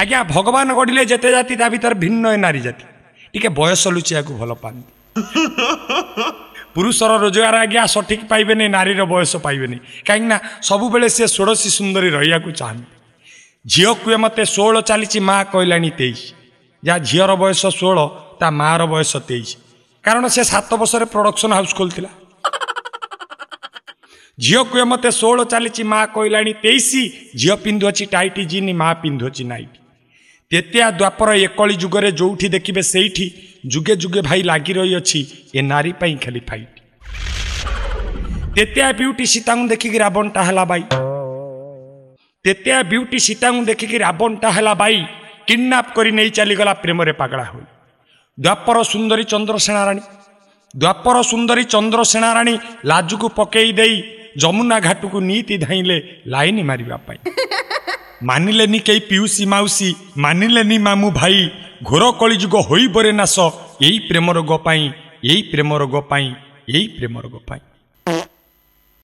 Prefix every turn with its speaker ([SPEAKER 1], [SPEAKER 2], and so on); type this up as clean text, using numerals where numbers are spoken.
[SPEAKER 1] ଆଜ୍ଞା, ଭଗବାନ ଗଢ଼ିଲେ ଯେତେ ଜାତି, ତା ଭିତରେ ଭିନ୍ନ ଏ ନାରୀ ଜାତି। ଟିକେ ବୟସ ଲୁଚିବାକୁ ଭଲ ପାଆନ୍ତି। ପୁରୁଷର ରୋଜଗାର ଆଜ୍ଞା ସଠିକ୍ ପାଇବେନି, ନାରୀର ବୟସ ପାଇବେନି, କାହିଁକିନା ସବୁବେଳେ ସେ ଷୋଡ଼ଶୀ ସୁନ୍ଦରୀ ରହିବାକୁ ଚାହାନ୍ତି। ଝିଅ କୁହେ ମୋତେ 16 ଚାଲିଛି, ମା କହିଲାଣି 23। ଯାହା ଝିଅର ବୟସ 16, ତା ମାଆର ବୟସ 23, କାରଣ ସେ 7 ବର୍ଷରେ ପ୍ରଡକ୍ସନ୍ ହାଉସ୍ ଖୋଲିଥିଲା। ଝିଅ କୁହେ ମୋତେ 16 ଚାଲିଛି, ମା କହିଲାଣି 23। ଝିଅ ପିନ୍ଧୁଅଛି ଟାଇଟ୍ ଜିନ୍, ମା ପିନ୍ଧୁଅଛି ନାଇଟ୍। ତେତେଆ ଦ୍ୱାପର ଏକଳି ଯୁଗରେ ଯୋଉଠି ଦେଖିବେ ସେଇଠି ଯୁଗେ ଯୁଗେ ଭାଇ ଲାଗି ରହିଅଛି ଏ ନାରୀ ପାଇଁ ଖାଲି ଫାଇଟ୍। ତେତେଆ ବିୟୁଟି ସୀତାଙ୍କୁ ଦେଖିକି ରାବଣଟା ହେଲା ବାଇ। ତେତେଆ ବିୟୁଟି ସୀତାଙ୍କୁ ଦେଖିକି ରାବଣଟା ହେଲା ବାଇ, କିଡନାପ୍ କରି ନେଇ ଚାଲିଗଲା ପ୍ରେମରେ ପାଗଳା ହୋଇ। ଦ୍ୱାପର ସୁନ୍ଦରୀ ଚନ୍ଦ୍ରସେନା ରାଣୀ, ଦ୍ୱାପର ସୁନ୍ଦରୀ ଚନ୍ଦ୍ରସେନା ରାଣୀ ଲାଜକୁ ପକେଇ ଦେଇ ଯମୁନା ଘାଟକୁ ନୀତି ଧାଇଁଲେ ଲାଇନ ମାରିବା ପାଇଁ। ମାନିଲେନି କେହି ପିଉସୀ ମାଉସୀ, ମାନିଲେନି ମାମୁଁ ଭାଇ, ଘୋର କଳିଯୁଗ ହୋଇବରେ ନାଶ ଏଇ ପ୍ରେମ ରୋଗ ପାଇଁ, ଏଇ ପ୍ରେମ ରୋଗ ପାଇଁ, ଏଇ ପ୍ରେମ ରୋଗ ପାଇଁ।